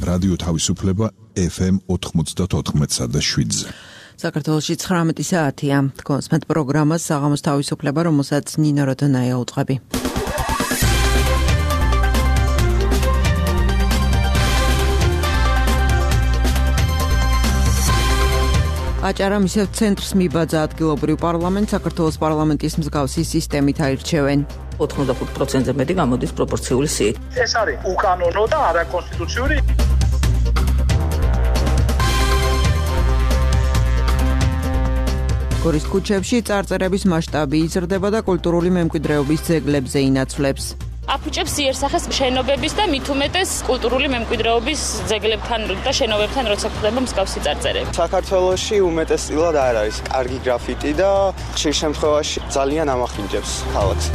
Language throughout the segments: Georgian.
რადიო თავისუფლება FM 94.7-ზე. საქართველოში 19 საათია. კონსმეთ პროგრამას საღამოს თავისუფლება, რომელსაც ნინო როდონაია უწყები. აჭარა მისევ ცენტრს მიბაძა ადგილობრივ პარლამენტს, საქართველოს პარლამენტის მსგავსი სისტემით აირჩევენ. 85%-ზე მეტი გამოდის პროპორციული სიით. ეს არის უკანონო და არაკონსტიტუციური. გორის ქუჩებში წარწერების მასშტაბი იზრდება და კულტურული მემკვიდრეობის ძეგლებზე ინაცვლებს. აფუჭებს იერსახეს შენობების და მით უმეტეს კულტურული მემკვიდრეობის ძეგლებთან და შენობებთან როცა ხდება მსგავსი წარწერები. საქართველოში უმეტესწილად არ არის კარგი გრაფიტი და ხშირ შემთხვევაში ძალიან ამახინჯებს ქალაქს.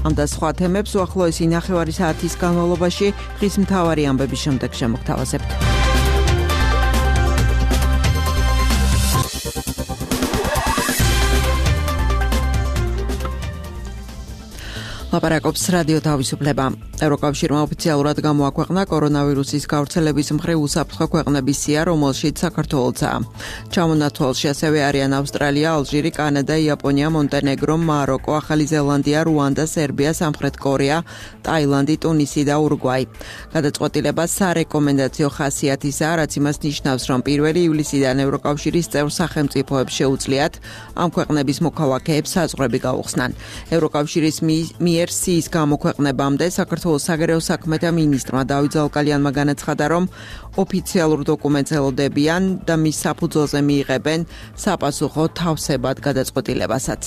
ამ და სხვა თემებს უახლოესი ნახევარი საათის განმავლობაში ხის მთავარი ამბების შემდეგ შემოგთავაზებთ. ლაპარაკობს რადიო თავისუფლება. ევროკავშირმა ოფიციალურად გამოაქვეყნა კორონავირუსის გავრცელების მხრივ უსაფრთხო ქვეყნების სია, რომელშიც საქართველოა. ჩამონათვალში ასევე არიან ავსტრალია, ალჟირი, კანადა, იაპონია, მონტენეგრო, მაროკო, ახალი ზელანდია, რუანდა, სერბია, სამხრეთ კორეა, ტაილანდი, ტუნისი და ურუგვაი. გადაწყვეტილება სარეკომენდაციო ხასიათისაა, რაც იმას ნიშნავს, რომ 1 ივლისიდან ევროკავშირის წევრ სახელმწიფოებს შეუძლიათ ამ ქვეყნების მოქალაქეებს საზღვრები გაუხსნან. ევროკავშირის მიერ სიის გამოქვეყნებამდე საქართველოს საგარეო საქმეთა მინისტრმა დავით ზალკალიანმა განაცხადა, რომ ოფიციალურ დოკუმენტს ელოდებიან და მის საფუძველზე მიიღებენ საპასუხო თავსებად გადაწყვეტილებასაც.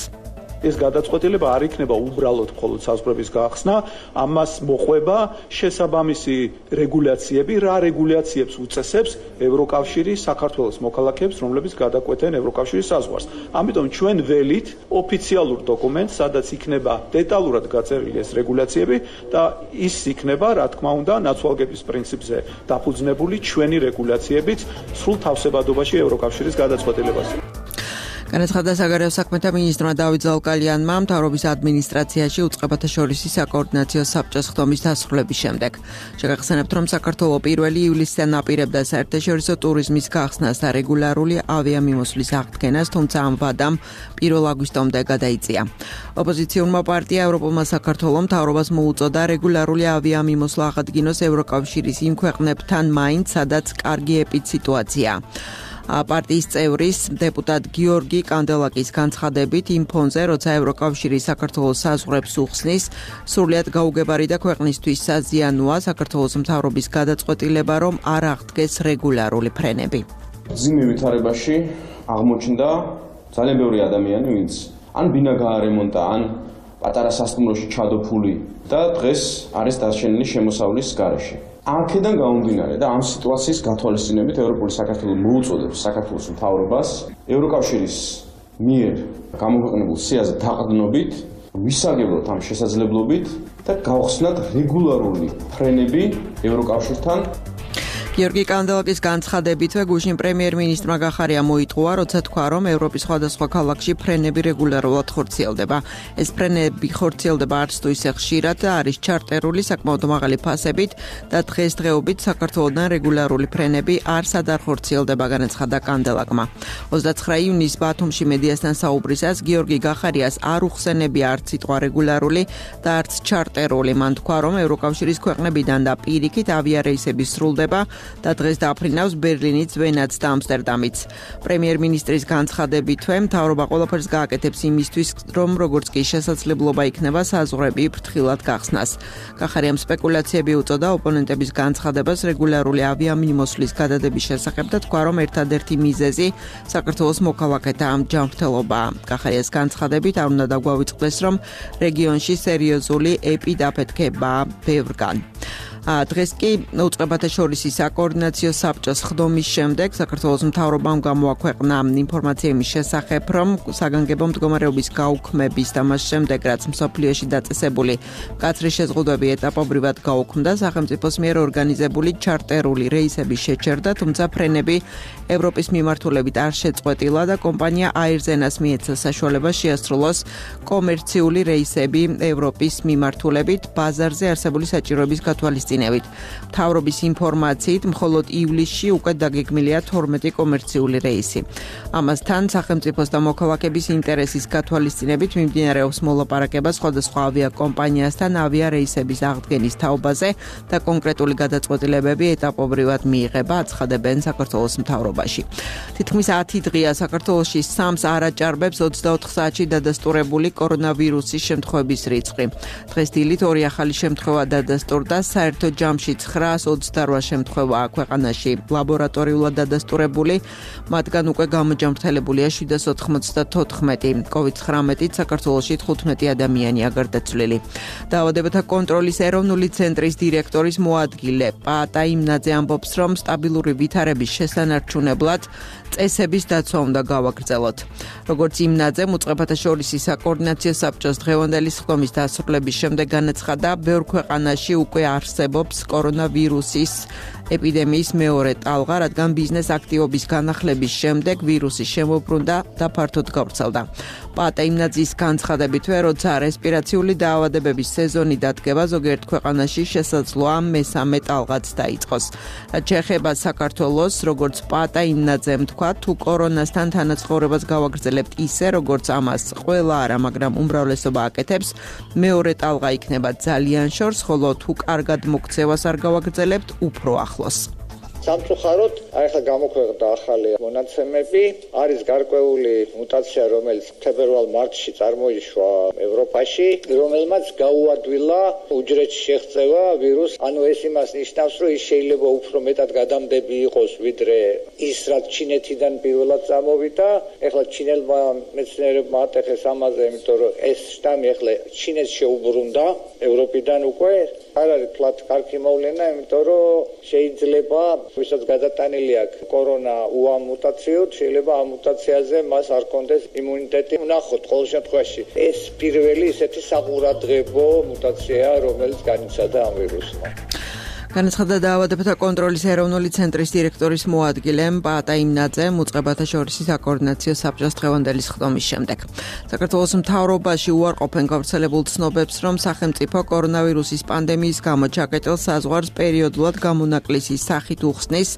ეს გადაწყვეტილება არ იქნება უბრალოდ მხოლოდ საზღვრების გაახსნა, ამას მოყვება შესაბამისი რეგულაციები, რა რეგულაციებს უწესებს ევროკავშირი საქართველოს მოქალაქეებს, რომლებიც გადაკვეთენ ევროკავშირის საზღვარს. ამიტომ ჩვენ ველით ოფიციალურ დოკუმენტს, სადაც იქნება დეტალურად გაწერილი ეს რეგულაციები და ის იქნება, რა თქმა უნდა, ნაცვალგების პრინციპზე დაფუძნებული ჩვენი რეგულაციებით სრულ თავსებადობაში ევროკავშირის გადაწყვეტილებას. განაცხადა საგარეო საქმეთა მინისტრმა დავით ზალკალიანმა მთავრობის ადმინისტრაციაში უწყებათა შორისი საკოორდინაციო საბჭოს ხდომის დასრულების შემდეგ. შეგახსენებთ, რომ საქართველო 1 ივლისიდან აპირებდა საერთაშორისო ტურიზმის გახსნას და რეგულარული ავიამიმოსვლის აღდგენას, თუმცა ამ ვადამ 1 აგვისტომდე გადაიწია. ოპოზიციურმა პარტია ევროპულმა საქართველომ მთავრობას მოუწოდა რეგულარული ავიამიმოსვლა აღადგინოს ევროკავშირის იმ ქვეყნებთან მაინც, სადაც კარგი ეპიდსიტუაცია. პარტიის წევრის დეპუტატ გიორგი კანდელაკის განცხადებით იმ ფონზე, როცა ევროკავშირი საქართველოს საზღვრებს უხსნის, სრულიად გაუგებარი და ქვეყნისთვის საზიანოა საქართველოს მთავრობის გადაწყვეტილება, რომ არ აღდგეს რეგულარული ფრენები. მძიმე ვითარებაში აღმოჩნდა ძალიან ბევრი ადამიანი, ვინც ან ბინა გაარემონტა, ან პატარა სასტუმროში ჩადოფული და დღეს არის დარჩენილი შემოსავლის გარეშე. აქედან გამომდინარე და ამ სიტუაციის გათვალისწინებით ევროპული საქართველო მოუწოდებს საქართველოს მთავრობას ევროკავშირის მიერ გამოქვეყნებულ სიაზე დაყრდნობით ვისაგებლოთ ამ შესაძლებლობით და გავხსნათ რეგულარული ფრენები ევროკავშირთან. გიორგი კანდელაკის განცხადებითვე გუშინ პრემიერ-მინისტრმა გახარია მოიტყუა, როცა თქვა, რომ ევროპის სხვადასხვა ქალაქში ფრენები რეგულარულად ხორციელდება. ეს ფრენები ხორციელდება არც თუ ისე ხშირად და არის ჩარტერული საკმაოდ მაღალი ფასებით და დღესდღეობით საქართველოდან რეგულარული ფრენები არსად არ ხორციელდება, განაცხადა კანდელაკმა. 29 ივნისს ბათუმში მედიასთან საუბრისას გიორგი გახარიას არ უხსენებია არც სიტყვა რეგულარული და არც ჩარტერული. მან თქვა, რომ ევროკავშირის ქვეყნებიდან და პირიქით ავიარეისები სრულდება და დღეს დაფრინავს ბერლინიც, ვენაც და ამსტერდამიც. პრემიერ-მინისტრის განცხადებითვე მთავრობა ყველაფერს გააკეთებს იმისთვის, რომ როგორც კი შესაძლებლობა იქნება საზღვრები ფრთხილად გახსნას. გახარიამ სპეკულაციები უწოდა ოპონენტების განცხადებას რეგულარული ავიამიმოსვლის გადადების შესახებ და თქვა, რომ ერთადერთი მიზეზი საქართველოს მოქალაქეთა ამ ჯანმრთელობაა. გახარიას განცხადებით არ უნდა დაგვავიწყდეს, რომ რეგიონში სერიოზული ეპიდაფეთქებაა ბევრგან. დღეს კი უწყებათა შორის საკოორდინაციო საბჭოს ხდომის შემდეგ საქართველოს მთავრობამ გამოაქვეყნა ინფორმაცია იმის შესახებ, რომ საგანგებო მდგომარეობის გაუქმების და მას შემდეგ, რაც მსოფლიოში დაწესებული მკაცრი შეზღუდვები ეტაპობრივად გაუქმდა, სახელმწიფოს მიერ ორგანიზებული ჩარტერული რეისების შეჩერდა, თუმცა ფრენები ევროპის მიმართულებით არ შეწყვეტილა და კომპანია Airzenas მიეცა საშუალება შეასრულოს კომერციული რეისები ევროპის მიმართულებით ბაზარზე არსებული საჭიროების გათვალისწინებით. მთავრობის ინფორმაციით, მხოლოდ ივლისში უკვე დაგეგმილია 12 კომერციული რეისი. ამასთან სახელმწიფოს და მოქალაქეების ინტერესის გათვალისწინებით მიმდინარეობს მოლაპარაკება სხვადასხვა ავიაკომპანიასთან ავიარეისების აღდგენის თაობაზე და კონკრეტული გადაწყვეტილებები ეტაპობრივად მიიღება, აცხადებენ საქართველოს მთავრობაში. თითქმის 10 დღეა საქართველოში სამს არ აჭარბებს 24 საათში დადასტურებული კორონავირუსის შემთხვევების რიცხვი. დღეს დილით 2 ახალი შემთხვევა დადასტურდა, საერთო ჯამში 928 შემთხვევაა ქვეყანაში ლაბორატორიულად დადასტურებული, მათგან უკვე გამოჯამრთელებულია 794. COVID-19-ით საქართველოში 15 ადამიანია გარდაცვლილი. დაავადებათა კონტროლის ეროვნული ცენტრის დირექტორის მოადგილე პაატა იმნაძე ამბობს, რომ სტაბილური ვითარების შესანარჩუნებლად წესების დაცვა უნდა გავაგრძელოთ. როგორც იმნაძემ უწყებათა შორის საკოორდინაციო საბჭოს დღევანდელი ხდომის დასრულების შემდეგ განაცხადა, ბევრ ქვეყანაში უკვე არსებობს კორონავირუსის ეპიდემიის მეორე ტალღა, რადგან ბიზნეს აქტივობის განახლების შემდეგ ვირუსი შემოbrunდა და ფართოდ გავრცელდა. პაატა იმნაძის განცხადებითვე, როცა რესპირაციული დაავადებების სეზონი დადგება, ზოგიერთ ქვეყანაში შესაძლოა მესამე ტალღაც დაიწყოს. რაც შეეხება საქართველოს, როგორც პაატა იმნაძემ თქვა, თუ კორონასთან თანაცხოვრებას გავაგრძელებთ ისე, როგორც ამას ყველა არა, მაგრამ უმრავლესობა აკეთებს, მეორე ტალღა იქნება ძალიან შორს, ხოლო თუ კარგად მოქცევას არ გავაგრძელებთ, უფრო ახლოს. სამწუხაროდ, ახლა გამოქვეყნდა ახალი მონაცემები, არის გარკვეული მუტაცია, რომელიც თებერვალ-მარტში წარმოიშვა ევროპაში, რომელმაც გაუადვილა უჯრედში შეღწევა ვირუსს. ანუ ეს იმას ნიშნავს, რომ ის შეიძლება უფრო მეტად გადამდები იყოს, ვიდრე ის, რაც ჩინეთიდან პირველად წამოვიდა. ახლა ჩინელმა მეცნიერებმა ატეხეს ამაზე, იმიტომ რომ ეს შტამი ახლა ჩინეთს შეუბრუნდა ევროპიდან უკვე. არ არის ფლატ კარგი მოვლენა, იმიტომ რომ შეიძლება ვისაც გადატანილი აქვს კორონა უამ მუტაციოდ, შეიძლება ამ მუტაციაზე მას არ კონდეს იმუნიტეტი. ვნახოთ ყოველ შემთხვევაში ეს პირველი ისეთი საყურადღებო მუტაციაა, რომელიც განიცადა ამ ვირუსმა. განაცხადა დაავადებათა კონტროლის ეროვნული ცენტრის დირექტორის მოადგილემ პაატა იმნაძემ უწყებათა შორის საკოორდინაციო საბჭოს დღევანდელი ხდომის შემდეგ. საქართველოს მთავრობაში უარყოფენ გავრცელებულ ცნობებს, რომ სახელმწიფო კორონავირუსის პანდემიის გამო ჩაკეტილ საზღვარს პერიოდულად გამონაკლისის სახით უხსნის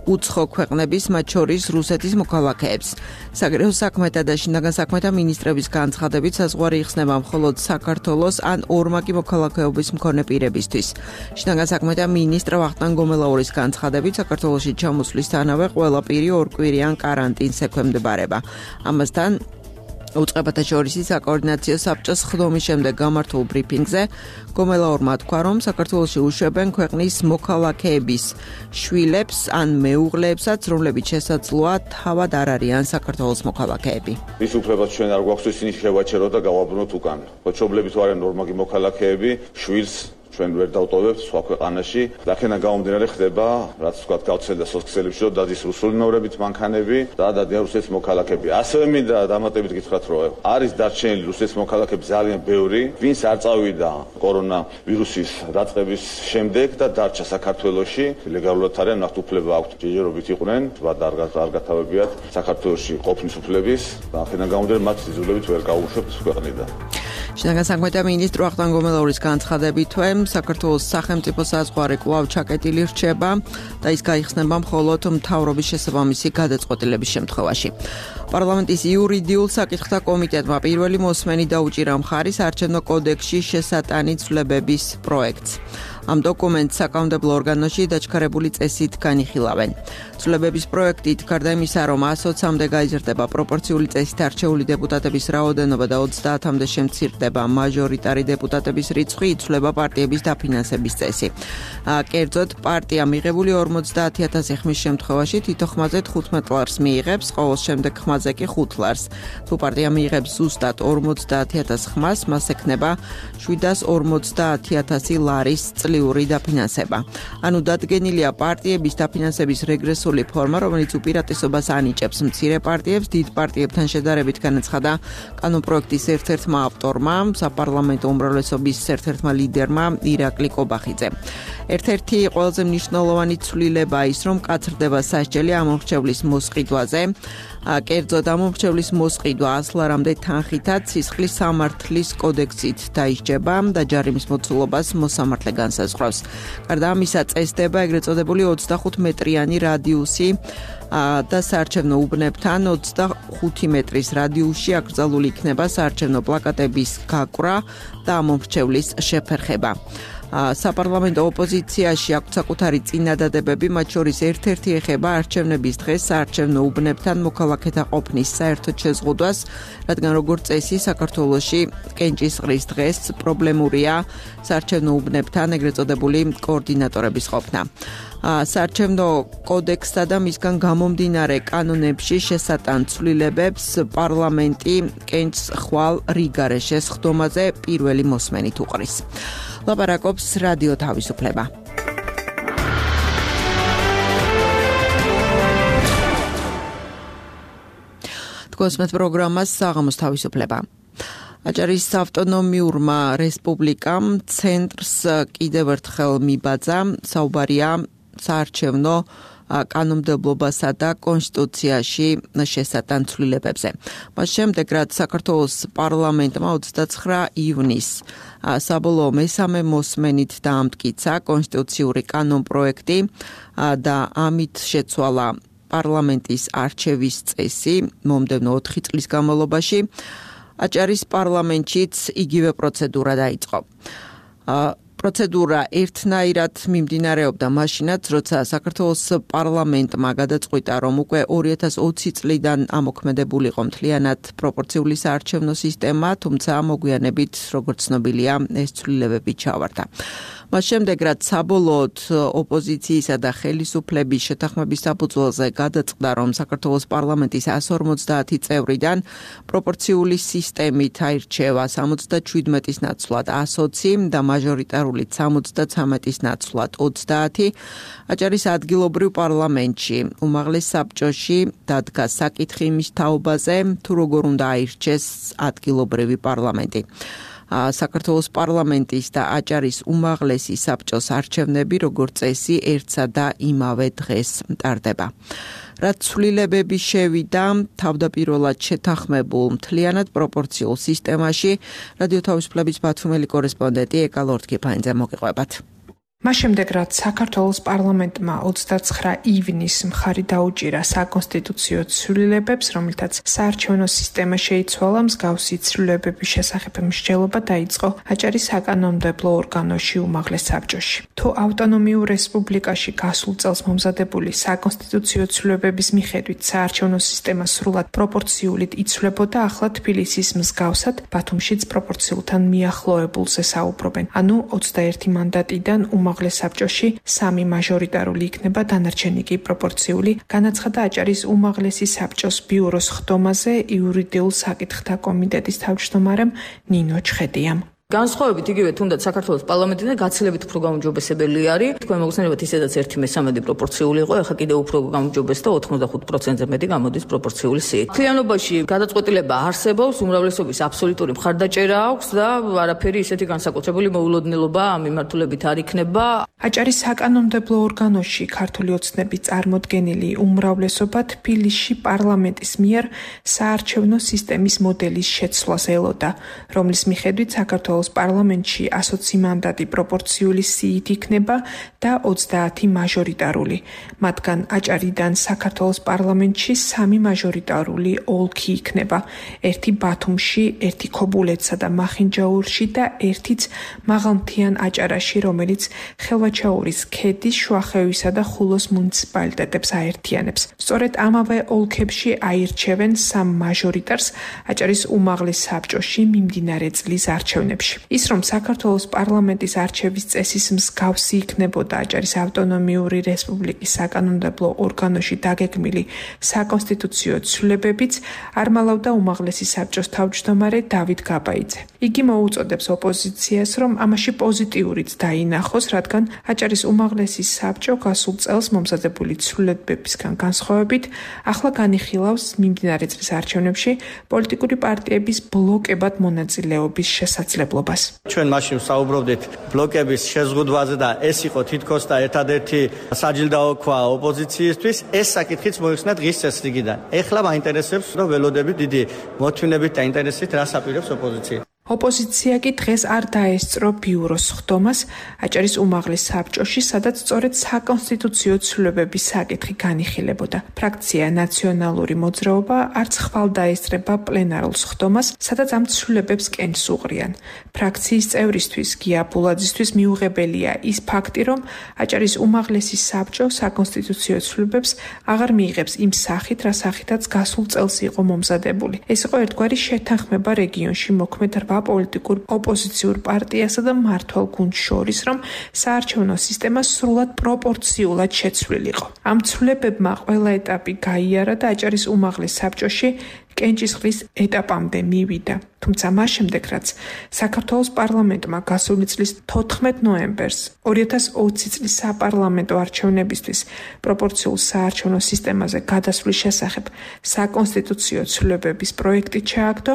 უცხო ქვეყნების, მათ შორის რუსეთის მოქალაქეებს. საგარეო საქმეთა და შინაგან საქმეთა მინისტრების განცხადებით საზღვარი იხსნება მხოლოდ საქართველოს ან ორმაგი მოქალაქეობის მქონე პირებისთვის. შინაგან საქმეთა მინისტრ ვახტანგ გომელაურის განცხადებით საქართველოში ჩამოსვლისთანავე ყველა პირი ორკვირიან კარანტინს ექვემდებარება. ამასთან უწყებათა შორის საკოორდინაციო საბჭოს ხდომის შემდეგ გამართულ ბრიფინგზე გომელაურმა თქვა, რომ საქართველოში უშვებენ ქვეყნის მოქალაქეების შვილებს ან მეუღლეებსაც, რომლებიც შესაძლოა თავად არ არიან საქართველოს მოქალაქეები. ის უფლებაც ჩვენ არ გვაქვს, ისინი შევაჩეროთ და გავაბრუნოთ უკან. მშობლები თუ არიან ნორმალი მოქალაქეები, შვილს ჩვენ ვერ დავტოვებთ სხვა ქვეყანაში. აქედან გამომდინარე ხდება, რაც ვთქვათ, გავრცელდა სოციალებში, რომ დადის რუსული ნომრებით მანქანები და დადიან რუსეთის მოქალაქეები. ასევე მინდა დამატებით გითხრათ, რომ არის დარჩენილი რუსეთის მოქალაქეები ძალიან ბევრი, ვინც არ წავიდა კორონავირუსის დაწყების შემდეგ და დარჩა საქართველოში, ლეგალურად არიან, ნახთ უფლება აქვთ, ჯერჯერობით იყვნენ, და არ გათავებიათ საქართველოში ყოფნის უფლების და აქედან გამომდინარე მათ სიზულებით ვერ გაუშვებთ ქვეყნიდან. შინაგან საქმეთა მინისტრი ვახტანგ გომელაურის განცხადებითვე საქართველოს სახელმწიფო საზღვარი კვლავ ჩაკეტილი რჩება და ის გაიხსნება მხოლოდ მთავრობის შესაბამისი გადაწყვეტილების შემთხვევაში. პარლამენტის იურიდიულ საკითხთა კომიტეტმა პირველი მოსმენი დაუჭირა მხარის არჩევნო კოდექსში შესატანი ცვლილებების პროექტს. ამ დოკუმენტს საკანონმდებლო ორგანოში დაჩქარებული წესით განიხილავენ. ცვლილებების პროექტით გარდა იმისა, რომ 120-მდე გაიზრდება პროპორციული წესით არჩეული დეპუტატების რაოდენობა და 30-მდე შემცირდება მაჟორიტარი დეპუტატების რიცხვი, იცვლება პარტიების დაფინანსების წესი. კერძოდ, პარტია მიღებული 50,000 ხმის შემთხვევაში თითო ხმაზე 15 ლარს მიიღებს, ყოველ შემდეგ ხმაზე კი 5 ლარს. თუ პარტია მიიღებს ზუსტად 50,000 ხმას, მას ექნება 750,000 ლარის წლიური მშობლიური დაფინანსება. ანუ დადგენილია პარტიების დაფინანსების რეგრესული ფორმა, რომელიც უპირატესობას ანიჭებს მცირე პარტიებს დიდ პარტიებთან შედარებით, განაცხადა კანონპროექტის ერთ-ერთმა ავტორმა, საპარლამენტო უმრავლესობის ერთ-ერთმა ლიდერმა ირაკლი კობახიძე. ერთ-ერთი ყველაზე მნიშვნელოვანი ცვლილება ის, რომ კაცრდება სასჯელი ამომრჩევლის მოსყიდვაზე. კერძოდ ამომრჩევლის მოსყიდვა 100-მდე თანხითაც სისხლის სამართლის კოდექსით დაისჯება და ჯარიმის მოცულობას მოსამართლე განსაზღვრავს. გარდა ამისა წესდება ეგრეთ წოდებული 25 მეტრიანი რადიუსი და საარჩევნო უბნებთან 25 მეტრის რადიუსში აკრძალული იქნება საარჩევნო პლაკატების გაკვრა და ამომრჩევლის შეფერხება. საპარლამენტო ოპოზიციაში აქვს საკუთარი წინადადებები, მათ შორის ერთ-ერთი ეხება არჩევნების დღეს საარჩევნო უბნებთან მოქალაქეთა ყოფნის საერთოდ შეზღუდვას, რადგან როგორც წესი საქართველოში კენჭისყრის დღეს პრობლემურია საარჩევნო უბნებთან ეგრეთ წოდებული კოორდინატორების ყოფნა. საარჩევნო კოდექსსა და მისგან გამომდინარე კანონებში შესატან ცვლილებებს პარლამენტი კენჭს ხვალ რიგარეშეს ხდომაზე პირველი მოსმენით უყრის. ლაპარაკობს რადიო თავისუფლება. თქვენს პროგრამას საღამოს თავისუფლება. აჭარის ავტონომიურმა რესპუბლიკამ ცენტრს კიდევ ერთხელ მიბაძა საუბარია საარჩევნო კანონმდებლობასა და კონსტიტუციაში შესატან ცვლილებებზე. მას შემდეგ, რაც საქართველოს პარლამენტმა 29 ივნისს საბოლოო მესამე მოსმენით დაამტკიცა კონსტიტუციური კანონპროექტი და ამით შეცვალა პარლამენტის არჩევის წესი მომდევნო 4 წლის განმავლობაში, აჭარის პარლამენტშიც იგივე პროცედურა დაიწყო. პროცედურა ერთნაირად მიმდინარეობდა მაშინაც, როცა საქართველოს პარლამენტმა გადაწყვიტა, რომ უკვე 2020 წლიდან ამოქმედებულიყო მთლიანად პროპორციული საარჩევნო სისტემა, თუმცა მოგვიანებით, როგორც ცნობილია, ეს ცვლილებები ჩავარდა. მას შემდეგ, რაც საბოლოოდ ოპოზიციისა და ხელისუფლების შეთანხმების საფუძველზე გადაწყდა, რომ საქართველოს პარლამენტის 150 წევრიდან პროპორციული სისტემით აირჩევა 77-ის ნაცვლად 120 და მაჟორიტარულით 73-ის ნაცვლად 30, აჭარის ადგილობრივ პარლამენტში უმაღლეს საბჭოში დადგა საკითხი იმის თაობაზე, თუ როგორ უნდა აირჩეს ადგილობრივი პარლამენტი. საქართველოს პარლამენტის და აჭარის უმაღლესი საბჭოს არჩევნები, როგორც წესი, ერთსა და იმავე დღეს მტარდება. რაც ცვლილებები შევიდა თავდაპირველად შეთანხმებულ მთლიანად პროპორციულ სისტემაში, რადიო თავისუფლების ბათუმელი კორესპონდენტი ეკა ლორდ-კიფანიძე მოგიყვებათ. მას შემდეგ, რაც საქართველოს პარლამენტმა 29 ივნისს მხარი დაუჭირა საკონსტიტუციო ცვლილებებს, რომელთაც საარჩევნო სისტემა შეიცვალა, მსგავსი ცვლილებების შესახებ მსჯელობა დაიწყო აჭარის საკანონმდებლო ორგანოში უმაღლეს საბჭოში. თუ ავტონომიურ რესპუბლიკაში გასულ წელს მომზადებული საკონსტიტუციო ცვლილებების მიხედვით საარჩევნო სისტემა სრულად პროპორციულით იცვლებოდა, ახლა თბილისის მსგავსად ბათუმშიც პროპორციულთან მიახლოებულზე საუბრობენ. ანუ 21 მანდატიდან უმაღლეს საბჭოში 3 მაჟორიტარული იქნება, დანარჩენი კი პროპორციული, განაცხადა აჭარის უმაღლესი საბჭოს ბიუროს ხდომაზე იურიდიულ საკითხთა კომიტეტის თავმჯდომარემ ნინო ჩხედიამ. განსხვავებით იგივე თუნდაც საქართველოს პარლამენტიდან გაცილებით უფრო გაუმჯობესებელი არის. თქვენ მოგხსენებათ ისედაც 1/3 პროპორციული იყო, ახლა კიდევ უფრო გაუმჯობეს და 85%-ზე მეტი გამოდის პროპორციული სიით. მთლიანობაში გადაწყვეტილება არსებობს, უმრავლესობის აბსოლუტური მხარდაჭერა აქვს და არაფერი ისეთი განსაკუთრებული მოულოდნელობა ამ მიმართულებით არ იქნება. აჭარის საკანონმდებლო ორგანოში ქართული ოცნების წარმოდგენილი უმრავლესობა თბილისში პარლამენტის მიერ საარჩევნო სისტემის მოდელის შეცვლას ელოდა, რომლის მიხედვით საქართველოს პარლამენტში 120 მანდატი პროპორციული სიით იქნება და 30 მაჟორიტარული. მათგან აჭარიდან საქართველოს პარლამენტში 3 მაჟორიტარული ოლქი იქნება. ერთი ბათუმში, ერთი ქობულეთსა და მახინჯაურში და ერთიც მაღალმთიან აჭარაში, რომელიც ხელვაჩაურის ქედის, შუახევისა და ხულოს მუნიციპალიტეტებს აერთიანებს. სწორედ ამავე ოლქებში აირჩევენ 3 მაჟორიტარს აჭარის უმაღლეს საბჭოში მიმდინარე წლის არჩევნებში. კავშირში. ის რომ საქართველოს პარლამენტის არჩევის წესის მსგავსი იქნებოდა აჭარის ავტონომიური რესპუბლიკის საკანონმდებლო ორგანოში დაგეგმილი საკონსტიტუციო ცვლილებებიც არ მალავდა უმაღლესი საბჭოს თავმჯდომარე დავით გაბაიძე. იგი მოუწოდებს ოპოზიციას, რომ ამაში პოზიტიურიც დაინახოს, რადგან აჭარის უმაღლესი საბჭო გასულ წელს მომზადებული ცვლილებებისგან განსხვავებით ახლა განიხილავს მიმდინარე წლის არჩევნებში პოლიტიკური პარტიების ბლოკებად მონაწილეობის შესაძლებლობას. ჩვენ მაშინ საუბრობდით ბლოკების შეზღუდვაზე და ეს იყო თითქოს და ერთადერთი საჯილდაო ქვა ოპოზიციისთვის. ეს საკითხიც მოიხსნა დღის წესრიგიდან. ეხლა მაინტერესებს, რომ ველოდებით დიდი მოთმინებით და ინტერესით რას აპირებს ოპოზიცია. ოპოზიცია კი დღეს არ დაესწრო ბიუროს ხდომას აჭარის უმაღლეს საბჭოში, სადაც სწორედ საკონსტიტუციო ცვლილებების საკითხი განიხილებოდა. ფრაქცია ნაციონალური მოძრაობა არც ხვალ დაესწრება პლენარულ ხდომას, სადაც ამ ცვლილებებს კენს უყრიან. ფრაქციის წევრისთვის გია ბულაძისთვის მიუღებელია ის ფაქტი, რომ აჭარის უმაღლესი საბჭო საკონსტიტუციო ცვლილებებს აღარ მიიღებს იმ სახით, რა სახითაც გასულ წელს იყო მომზადებული. ეს იყო ერთგვარი შეთანხმება რეგიონში მოქმედ პოლიტიკურ ოპოზიციურ პარტიასა და მმართველ გუნდს შორის, რომ საარჩევნო სისტემა სრულად პროპორციულად შეცვლილიყო. ამ ცვლილებებმა ყველა ეტაპი გაიარა და აჭარის უმაღლეს საბჭოში კენჭისყრის ეტაპამდე მივიდა. თუმცა მას შემდეგ, რაც საქართველოს პარლამენტმა გასული წლის 14 ნოემბერს 2020 წლის საპარლამენტო არჩევნებისთვის პროპორციულ საარჩევნო სისტემაზე გადასვლის შესახებ საკონსტიტუციო ცვლილებების პროექტი ჩააგდო,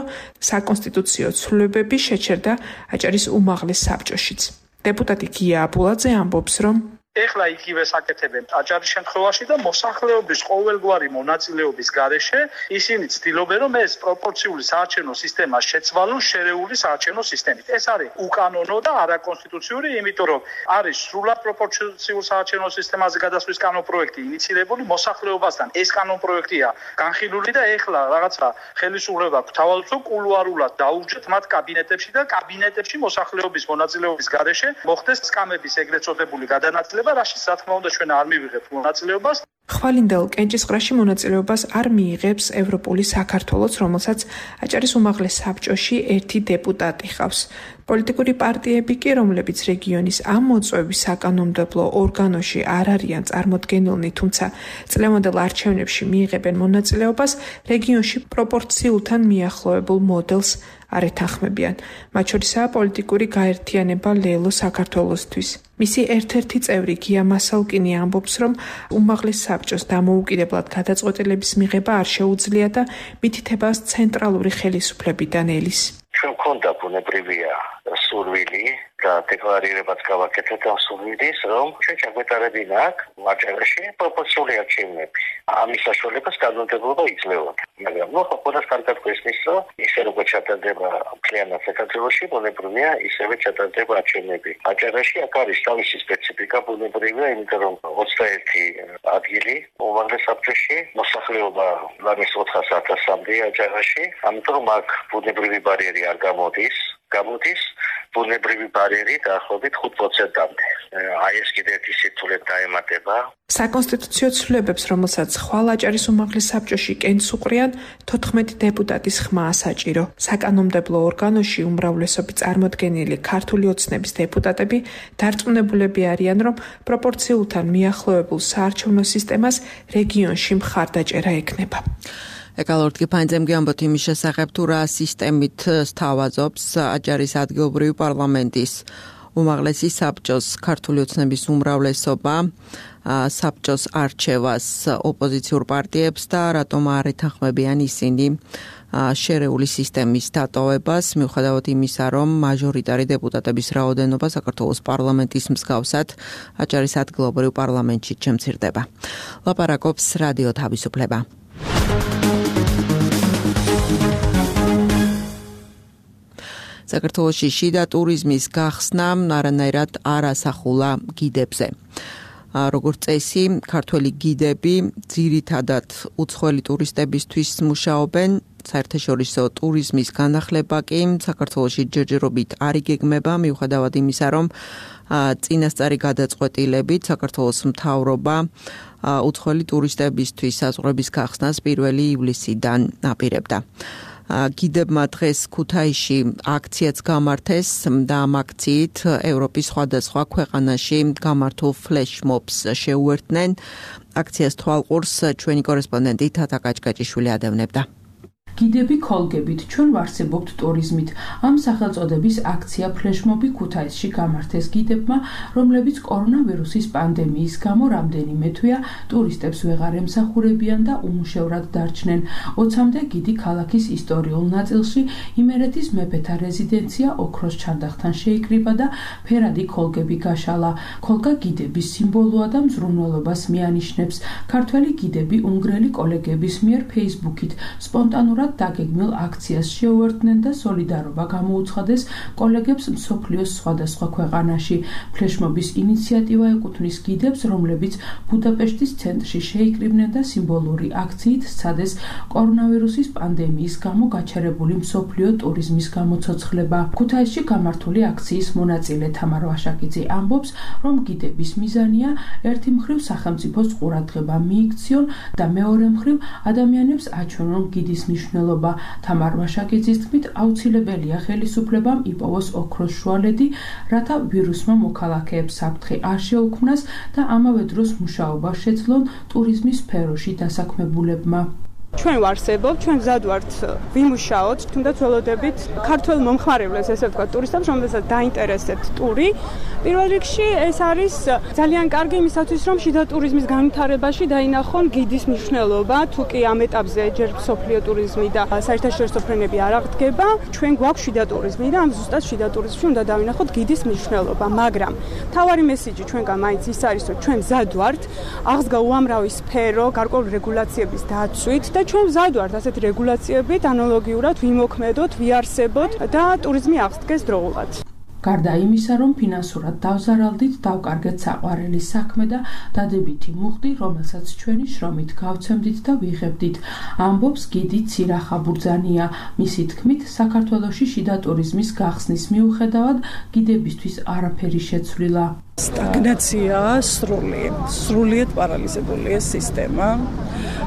საკონსტიტუციო ცვლილებები შეჩერდა აჭარის უმაღლეს საბჭოშიც. დეპუტატი გია აბულაძე ამბობს, რომ ეხლა იგივე საკეთებენ აჭარის შემთხვევაში და მოსახლეობის ყოველგვარი მონაწილეობის გარეშე ისინი ცდილობენ, რომ ეს პროპორციული საარჩევნო სისტემა შეცვალონ შერეული საარჩევნო სისტემით. ეს არის უკანონო და არაკონსტიტუციური, იმიტომ რომ არის სრულად პროპორციულ საარჩევნო სისტემაზე გადასვლის კანონპროექტი ინიცირებული მოსახლეობასთან. ეს კანონპროექტია განხილული და ეხლა რაღაცა ხელისუფლება გვთავაზობს, რომ კულუარულად დაურჩეთ მათ კაბინეტებში და კაბინეტებში მოსახლეობის მონაწილეობის გარეშე მოხდეს სკამების ეგრეთ წოდებული გადანაწილება, რაშიც რა თქმა უნდა ჩვენ არ მივიღებთ მონაწილეობას. ხვალინდელ კენჭისყრაში მონაწილეობას არ მიიღებს ევროპული საქართველოს, რომელსაც აჭარის უმაღლეს საბჭოში ერთი დეპუტატი ჰყავს. პოლიტიკური პარტიები კი, რომლებიც რეგიონის ამ მოწვევის საკანონმდებლო ორგანოში არ არიან წარმოდგენილნი, თუმცა წლევანდელ არჩევნებში მიიღებენ მონაწილეობას, რეგიონში პროპორციულთან მიახლოებულ მოდელს არ ეთანხმებიან. მათ შორისაა პოლიტიკური გაერთიანება ლელო საქართველოსთვის. მისი ერთ-ერთი წევრი გია მასალკინი ამბობს, რომ უმაღლეს საბჭოს დამოუკიდებლად გადაწყვეტილების მიღება არ შეუძლია და მითითებას ცენტრალური ხელისუფლებიდან ელის. ჩვენ გვქონდა ბუნებრივია სურვილი და დეკლარირებაც გავაკეთეთ ამ სურვილის, რომ ჩვენ ჩაგვეტარებინა აქ აჭარაში პროპორციული არჩევნები. ამის საშუალებას კანონმდებლობა იძლეოდა. მაგრამ ნუ ხოხონას კარგად გვესმის, რომ ისე როგორც ჩატარდება მთლიანად საქართველოში, ბუნებრივია ისევე ჩატარდება არჩევნები. აჭარაში აქ არის თავისი სპეციფიკა ბუნებრივია, იმიტომ რომ 21 ადგილი უმაღლეს საბჭოში მოსახლეობა ლამის 400,000-მდე აჭარაში, ამიტომ აქ ბუნებრივი ბარიერი არ გამოდის ბუნებრივი ბარიერი დაახლოებით 5%-მდე. აი ეს კიდევ ერთი სირთულე დაემატება. საკონსტიტუციო ცვლილებებს, რომელსაც ხვალ აჭარის უმაღლეს საბჭოში კენს უყრიან, 14 დეპუტატის ხმაა საჭირო. საკანონმდებლო ორგანოში უმრავლესობით წარმოდგენილი ქართული ოცნების დეპუტატები დარწმუნებულები არიან, რომ პროპორციულთან მიახლოებულ საარჩევნო სისტემას რეგიონში მხარდაჭერა ექნება. ეკალორტკი ფაინძემ ამბობთ იმის შესახებ, თუ რა სისტემით სთავაზობს აჭარის ადგილობრივი პარლამენტის უმაღლესი საბჭოს ქართული ოცნების უმრავლესობა საბჭოს არჩევას ოპოზიციურ პარტიებს და რატომ არ ეთანხმებიან ისინი შერეული სისტემის დატოვებას, მიუხედავად იმისა, რომ მაჟორიტარი დეპუტატების რაოდენობა საქართველოს პარლამენტის მსგავსად აჭარის ადგილობრივ პარლამენტში შემცირდება. ლაპარაკობს რადიო თავისუფლება. საქართველოში შიდა ტურიზმის გახსნა არანაირად არ ასახულა გიდებზე. როგორც წესი, ქართველი გიდები ძირითადად უცხოელი ტურისტებისთვის მუშაობენ, საერთაშორისო ტურიზმის განახლება კი საქართველოში ჯერჯერობით არ იგეგმება, მიუხედავად იმისა, რომ წინასწარი გადაწყვეტილებით საქართველოს მთავრობა უცხოელი ტურისტებისთვის საზღვრების გახსნას 1 ივლისიდან აპირებდა. გიდებმა დღეს ქუთაისში აქციაც გამართეს და ამ აქციით ევროპის სხვადასხვა ქვეყანაში გამართულ ფლეშმობს შეუერთდნენ. აქციას თვალყურს ჩვენი კორესპონდენტი თათა კაჭკაჭიშვილი ადევნებდა. გიდები ქოლგებით ჩვენ ვარსებობთ ტურიზმით. ამ სახელწოდების აქცია ფლეშმობი ქუთაისში გამართეს გიდებმა, რომლებიც კორონავირუსის პანდემიის გამო რამდენიმე თვეა ტურისტებს ვეღარ ემსახურებიან და უმუშევრად დარჩნენ. 20-მდე გიდი ქალაქის ისტორიულ ნაწილში იმერეთის მეფეთა რეზიდენცია ოქროს ჩარდახთან შეიკრიბა და ფერადი ქოლგები გაშალა. ქოლგა გიდების სიმბოლოა და მზრუნველობას მიანიშნებს. ქართველი გიდები უნგრელი კოლეგების მიერ Facebook-ით სპონტანურად დაგეგმილ აქციას შეუერთდნენ და სოლიდარობა გამოუცხადეს კოლეგებს მსოფლიოს სხვადასხვა ქვეყანაში. ფლეშმობის ინიციატივა ეკუთვნის გიდებს, რომლებიც ბუდაპეშტის ცენტრში შეიკრიბნენ და სიმბოლური აქციით სცადეს კორონავირუსის პანდემიის გამო გაჩერებული მსოფლიო ტურიზმის გამოცოცხლება. ქუთაისში გამართული აქციის მონაწილე თამარ ვაშაკიძე ამბობს, რომ გიდების მიზანია ერთი მხრივ სახელმწიფოს ყურადღება მიიქციონ და მეორე მხრივ ადამიანებს აჩვენონ გიდის მნიშვნელობა. თამარ ვაშაკიძის თქმით, აუცილებელია ხელისუფლებამ იპოვოს ოქროს შუალედი, რათა ვირუსმა მოქალაქეებს საფრთხე არ შეუქმნას და ამავე დროს მუშაობა შეძლონ ტურიზმის სფეროში დასაქმებულებმა. ჩვენ ვარსებობთ, ჩვენ მზად ვართ ვიმუშაოთ, თუნდაც ველოდებით ქართველ მომხმარებლებს, ესე ვთქვათ, ტურისტებს, რომელსაც დაინტერესებთ ტური. პირველ რიგში ეს არის ძალიან კარგი იმისათვის, რომ შიდა ტურიზმის განვითარებაში დაინახონ გიდის მნიშვნელობა, თუ კი ამ ეტაპზე ჯერ მსოფლიო ტურიზმი და საერთაშორისო ფრენები არ აღდგება, ჩვენ გვაქვს შიდა ტურიზმი და ამ ზუსტად შიდა ტურიზმში უნდა დავინახოთ გიდის მნიშვნელობა, მაგრამ მთავარი მესიჯი ჩვენგან მაინც ის არის, რომ ჩვენ მზად ვართ აღსგა უამრავი სფერო გარკვეული რეგულაციების დაცვით და ჩვენ მზად ვართ ასეთ რეგულაციებით ანალოგიურად ვიმოქმედოთ, ვიარსებოთ და ტურიზმი აღსდგეს დროულად. გარდა იმისა, რომ ფინანსურად დავზარალდით, დავკარგეთ საყვარელი საქმე და დადებითი მუხდი, რომელსაც ჩვენი შრომით გავცემდით და ვიღებდით, ამბობს გიდი ცირახა ბურძანია. მისი თქმით, საქართველოში შიდა ტურიზმის გახსნის მიუხედავად გიდებისთვის არაფერი შეცვლილა. სტაგნაციაა სრულიად პარალიზებული ეს სისტემა,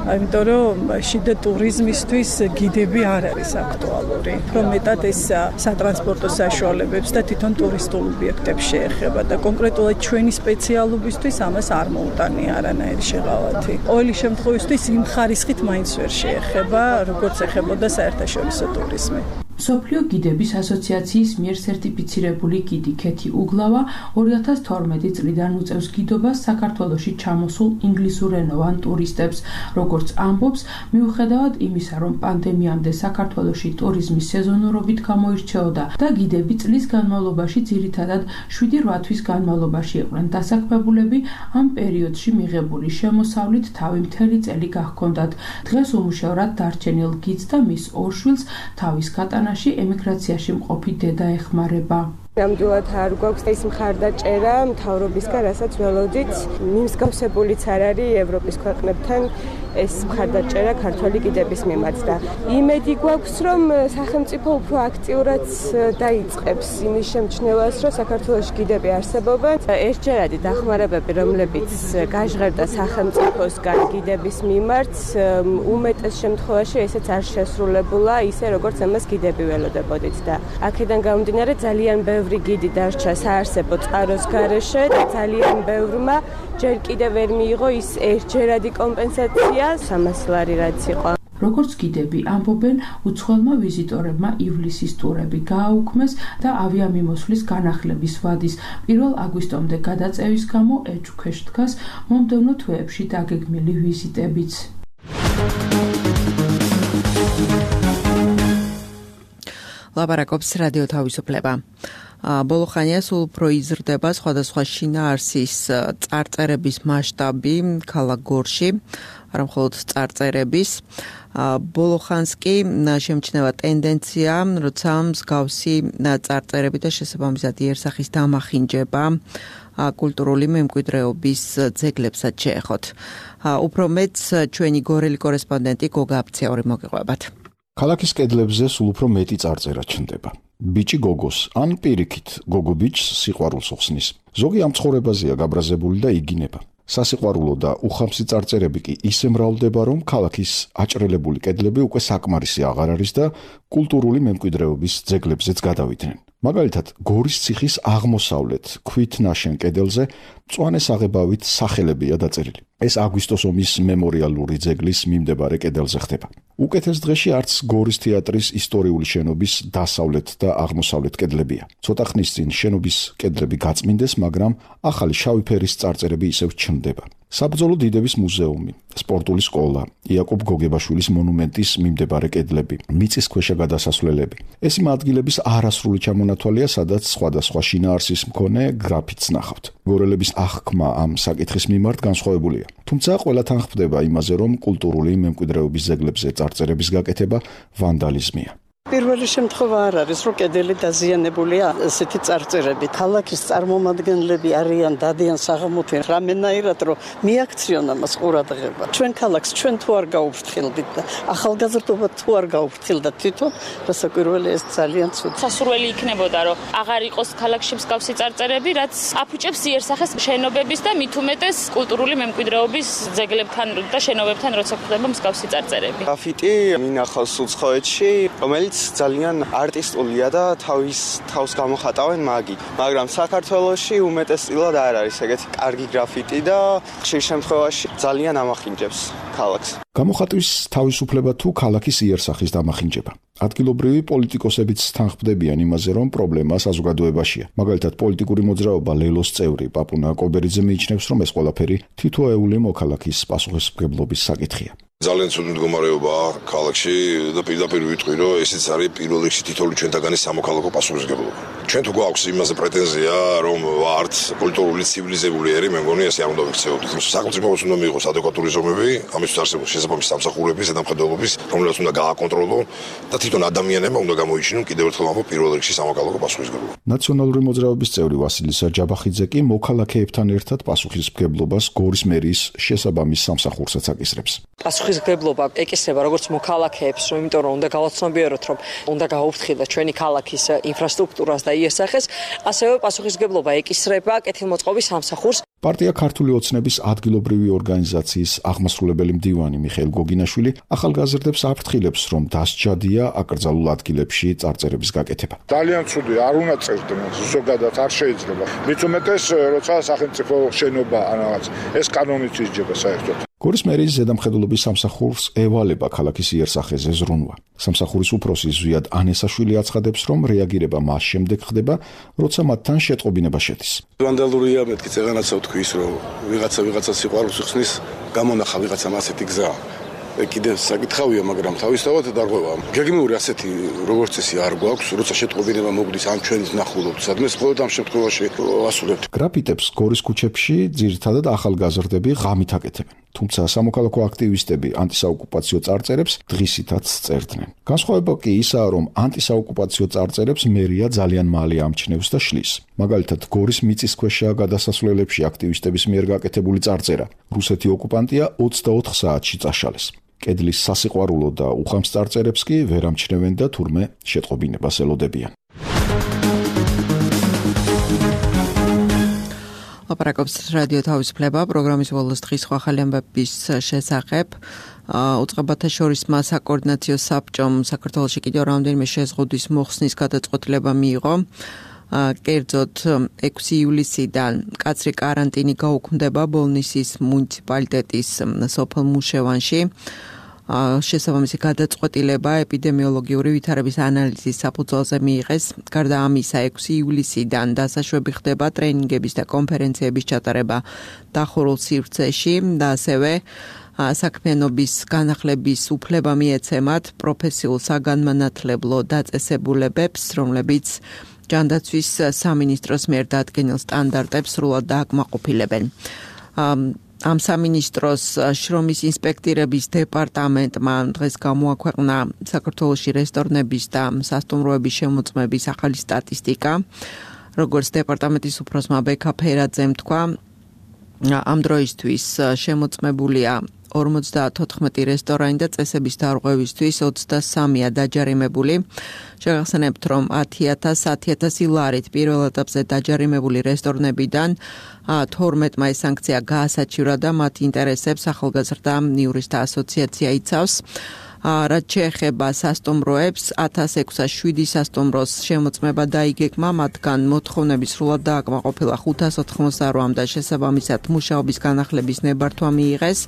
იმიტომ რომ შიდა ტურიზმისთვის გიდები არ არის აქტუალური. რომ მეტად ეს სატრანსპორტო საშუალებებს და თვითონ ტურისტულ ობიექტებს შეეხება და კონკრეტულად ჩვენი სპეციალობისთვის ამას არ მოუტანია არანაირი შეღავათი. ყოველი შემთხვევისთვის იმ ხარისხით მაინც ვერ შეეხება, როგორც ეხებოდა საერთაშორისო ტურიზმი. მსოფლიო გიდების ასოციაციის მიერ სერტიფიცირებული გიდი ქეთი უგლავა 2012 წლიდან უწევს გიდობას საქართველოში ჩამოსულ ინგლისურენოვან ტურისტებს. როგორც ამბობს, მიუხედავად იმისა, რომ პანდემიამდე საქართველოში ტურიზმის სეზონურობით გამოირჩეოდა და გიდები წლის განმავლობაში ძირითადად 7-8 თვის განმავლობაში იყვნენ დასაქმებულები, ამ პერიოდში მიღებული შემოსავლით თავი მთელი წელი გაჰქონდათ. დღეს უმუშევრად დარჩენილ გიდს და მის ორ შვილს თავის გატანა ემიგრაციაში მყოფი დედა ეხმარება. ნამდვილად არ გვაქვს ის მხარდაჭერა მთავრობისგან, რასაც ველოდით, მიმსგავსებულიც არ არის ევროპის ქვეყნებთან ეს მხარდაჭერა ქართველი გიდების მიმართ და იმედი გვაქვს, რომ სახელმწიფო უფრო აქტიურად დაიწყებს იმის შემჩნევას, რომ საქართველოში გიდები არსებობენ. ერთჯერადი დახმარებები, რომლებიც გაჟღერდა სახელმწიფოსგან გიდების მიმართ, უმეტეს შემთხვევაში ესეც არ შესრულებულა ისე, როგორც ამას გიდები ველოდებოდით და აქედან გამომდინარე ძალიან ბევრი გიდი დარჩა საარსებო წყაროს გარეშე და ძალიან ბევრმა ჯერ კიდევ ვერ მიიღო ის ერთჯერადი კომპენსაცია 300 ლარი რაც იყო. როგორც გიდები ამბობენ, უცხოელმა ვიზიტორებმა ივლისის ტურები გააუქმეს და ავიამიმოსვლის განახლების ვადის 1 აგვისტომდე გადაწევის გამო ეჭვქვეშ დგას მომდევნო თვეებში დაგეგმილი ვიზიტებიც. ლაპარაკობს რადიო თავისუფლება. ბოლო ხანია სულ უფრო იზრდება სხვადასხვა შინაარსის წარწერების მასშტაბი ქალაქ გორში, არა მხოლოდ წარწერების. ბოლო ხანს კი შემჩნევა ტენდენცია, როცა მსგავსი წარწერები და შესაბამისად იერსახის დამახინჯება კულტურული მემკვიდრეობის ძეგლებსაც შეეხოთ. უფრო მეც ჩვენი გორელი კორესპონდენტი გოგა აფციური მოგიყვებათ. ქალაქის კედლებზე სულ უფრო მეტი წარწერა ჩნდება. ბიჭი გოგოს ან პირიქით გოგო ბიჭს სიყვარულს უხსნის. ზოგი ამ ცხოვრებაზეა გაბრაზებული და იგინება. სასიყვარულო და უხამსი წარწერები კი ისე მრავლდება, რომ ქალაქის აჭრელებული კედლები უკვე საკმარისი აღარ არის და კულტურული მემკვიდრეობის ძეგლებზეც გადავიდნენ. მაგალითად, გორის ციხის აღმოსავლეთ ქვით ნაშენ კედელზე მწვანე საღებავით სახელებია დაწერილი. ეს აგვისტოს ომის მემორიალური ძეგლის მიმდებარე კედელზე ხდება. უკეთეს დღეში არც გორის თეატრის ისტორიული შენობის დასავლეთ და აღმოსავლეთ კედლებია. ცოტა ხნის წინ შენობის კედლები გაწმინდეს, მაგრამ ახალი შავი ფერის წარწერები ისევ ჩნდება. საბრძოლო დიდების მუზეუმი, სპორტული სკოლა, იაკობ გოგებაშვილის მონუმენტის მიმდებარე კედლები, მიწისქვეშა გადასასვლელები. ეს იმ ადგილების არასრული ჩამონათვალია, სადაც სხვადასხვა შინაარსის მქონე გრაფიტს ნახავთ. გორელების აღქმა ამ საკითხის მიმართ განსხვავებულია. თუმცა ყველა თანხმდება იმაზე, რომ კულტურული მემკვიდრეობის ძეგლებზე წარწერების გაკეთება ვანდალიზმია. პირველი შემთხვევა არ არის, რომ კედელი დაზიანებულია ესეთი წარწერებით. ქალაქის წარმომადგენლები არიან დადიან საღამოთი რამენაირად, რომ მიაქციონ ამას ყურადღება. ჩვენ ქალაქს ჩვენ თუ არ გაუფრთხილდით და ახალგაზრდობა თუ არ გაუფრთხილდა თვითონ, რასაკვირველია ეს ძალიან ცუდი. სასურველი იქნებოდა, რომ აღარ იყოს ქალაქში მსგავსი წარწერები, რაც აფუჭებს იერსახეს შენობების და მით უმეტეს კულტურული მემკვიდრეობის ძეგლებთან და შენობებთან, როცა ხდება მსგავსი წარწერები. გრაფიტი მინახავს უცხოეთში, რომელიც ძალიან არტისტულია და თავს გამოხატავენ მაგით. მაგრამ საქართველოში უმეტესწილად არ არის ეგეთი კარგი გრაფიტი და ხშირ შემთხვევაში ძალიან ამახინჯებს ქალაქს. გამოხატვის თავისუფლება თუ ქალაქის იერსახის დამახინჯება. ადგილობრივი პოლიტიკოსებიც თანხმდებიან იმაზე, რომ პრობლემა საზოგადოებაშია. მაგალითად, პოლიტიკური მოძრაობა ლელოს წევრი პაპუნა კობერიძე მიიჩნევს, რომ ეს ყველაფერი თითოეული მოქალაქის პასუხისმგებლობის საკითხია. ძალიან ცუდი მდგომარეობაა ქალაქში და პირდაპირ ვიტყვი, რომ ესეც არის პირველ რიგში თითოეული ჩვენთაგანი სამოქალაქო პასუხისმგებლობა. ჩვენ თუ გვაქვს იმაზე პრეტენზია, რომ ვართ კულტურული ცივილიზებული ერი, მე მგონი ესე არ უნდა ვიქცეოდეთ. სახელმწიფოს უნდა მიიღოს ადეკვატური ზომები, ამისთვის არსებობს შესაბამისი სამსახურების ზედამხედველობის, რომელიც უნდა გააკონტროლოს და თვითონ ადამიანებმა უნდა გამოიჩინონ კიდევ ერთხელ ამბობ პირველ რიგში სამოქალაქო პასუხისმგებლობა. ნაციონალური მოძრაობის წევრი ვასილი საჯაბახიძე კი მოქალაქეებთან ერთად პასუხისმგებლობას გორის მერიის შესაბამის სამსახურსაც აკისრებს. პასუხისმგებლობა ეკისრება როგორც მოქალაქეებს, იმიტომ რომ უნდა გავაცნობიეროთ, რომ უნდა გაუფრთხილდეს ჩვენი ქალაქის ინფრასტრუქტურას და იერსახეს, ასევე პასუხისმგებლობა ეკისრება კეთილმოწყობის სამსახურს. პარტია ქართული ოცნების ადგილობრივი ორგანიზაციის აღმასრულებელი მდივანი მიხეილ გოგინაშვილი ახალგაზრდებს აფრთხილებს, რომ დასჯადია აკრძალულ ადგილებში წარწერების გაკეთება. ძალიან ცუდი, არ უნდა წერდნენ, ზოგადად არ შეიძლება. მით უმეტეს, როცა სახელმწიფო შენობა ან რაღაც, ეს კანონით ისჯება საერთოდ. გორის მერიის ზედამხედველობის სამსახურს ევალება ქალაქის იერსახეზე ზრუნვა. სამსახურის უფროსი ზვიად ანესაშვილი აცხადებს, რომ რეაგირება მას შემდეგ ხდება, როცა მათთან შეტყობინება შედის. ვანდალურია, მეთქი წეღანაცა ვთქვის, რომ ვიღაცა სიყვარულს იხსნის, გამონახა ვიღაცამ ასეთი გზა. კიდე საკითხავია, მაგრამ თავისთავად დარღვევა. გეგმიური ასეთი როგორც წესი არ გვაქვს, როცა შეტყობინება მოგდის ამ ჩვენის ნახულობთ, სადმე მხოლოდ ამ შემთხვევაში ვასრულებთ. გრაფიტებს გორის ქუჩებში ძირითადად ახალგაზრდები ღამით აკეთებენ. თუმცა სამოქალაქო აქტივისტები ანტისაოკუპაციო წარწერებს დღისითაც წერდნენ. განსხვავება კი ისაა, რომ ანტისაოკუპაციო წარწერებს მერია ძალიან მალე ამჩნევს და შლის. მაგალითად, გორის მიწისქვეშა გადასასვლელებში აქტივისტების მიერ გაკეთებული წარწერა რუსეთი ოკუპანტია 24 საათში წაშალეს. კედლის სასიყვარულო და უხამს წარწერებს კი ვერ ამჩნევენ და თურმე შეტყობინებას ელოდებიან. ლაპარაკობს რადიო თავისუფლება პროგრამის ბოლოს დღის ახალი ამბების შესახებ. უწყებათა შორის საკოორდინაციო საბჭომ საქართველოში კიდევ რამდენიმე შეზღუდვის მოხსნის გადაწყვეტილება მიიღო. კერძოდ 6 ივლისიდან მკაცრი კარანტინი გაუქმდება ბოლნისის მუნიციპალიტეტის სოფელ მუშევანში. შესაბამისი გადაწყვეტილება ეპიდემიოლოგიური ვითარების ანალიზის საფუძველზე მიიღეს. გარდა ამისა, 6 ივლისიდან დასაშვები ხდება ტრენინგების და კონფერენციების ჩატარება დახურულ სივრცეში და ასევე საქმიანობის განახლების უფლება მიეცემათ პროფესიულ საგანმანათლებლო დაწესებულებებს, რომლებიც ჯანდაცვის სამინისტროს მიერ დადგენილ სტანდარტებს სრულად დააკმაყოფილებენ. ამ სამინისტროს შრომის ინსპექტირების დეპარტამენტმა დღეს გამოაქვეყნა საქართველოში რესტორნების და სასტუმროების შემოწმების ახალი სტატისტიკა. როგორც დეპარტამენტის უფროსმა ბექა ფერაძემ თქვა, ამ დროისთვის შემოწმებულია 54 რესტორანი და წესების დარღვევისთვის 23-ია დაჯარიმებული. შეგახსენებთ, რომ 10,000 ლარით პირველ ეტაპზე დაჯარიმებული რესტორნებიდან 12-მა ეს სანქცია გაასაჩივრა და მათ ინტერესებს ახალგაზრდა იურისტთა ასოციაცია იცავს. რაც შეეხება სასტუმროებს, 1607 სასტუმროს შემოწმება დაიგეგმა, მათგან მოთხოვნები სრულად დააკმაყოფილა 588 და შესაბამისად მუშაობის განახლების ნებართვა მიიღეს.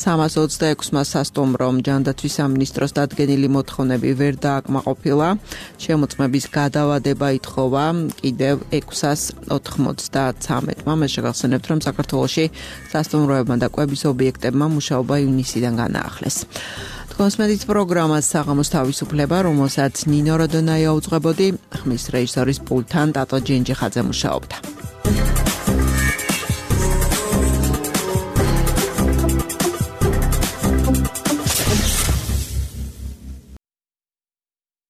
326-მა სასტუმრომ ჯანდაცვის სამინისტროს დადგენილი მოთხოვნები ვერ დააკმაყოფილა. შემოწმების გადავადება ითხოვა კიდევ 693-მა. მე შეგახსენებთ, რომ საქართველოში სასტუმროებმა და კვების ობიექტებმა მუშაობა ივნისიდან განაახლეს. კონსმეტის პროგრამას საღამოს თავისუფლება, რომელსაც ნინო როდონაია უძღვებოდი, ხმის რეჟისორის პულტთან ტატო ჯენჯიხაძე მუშაობდა.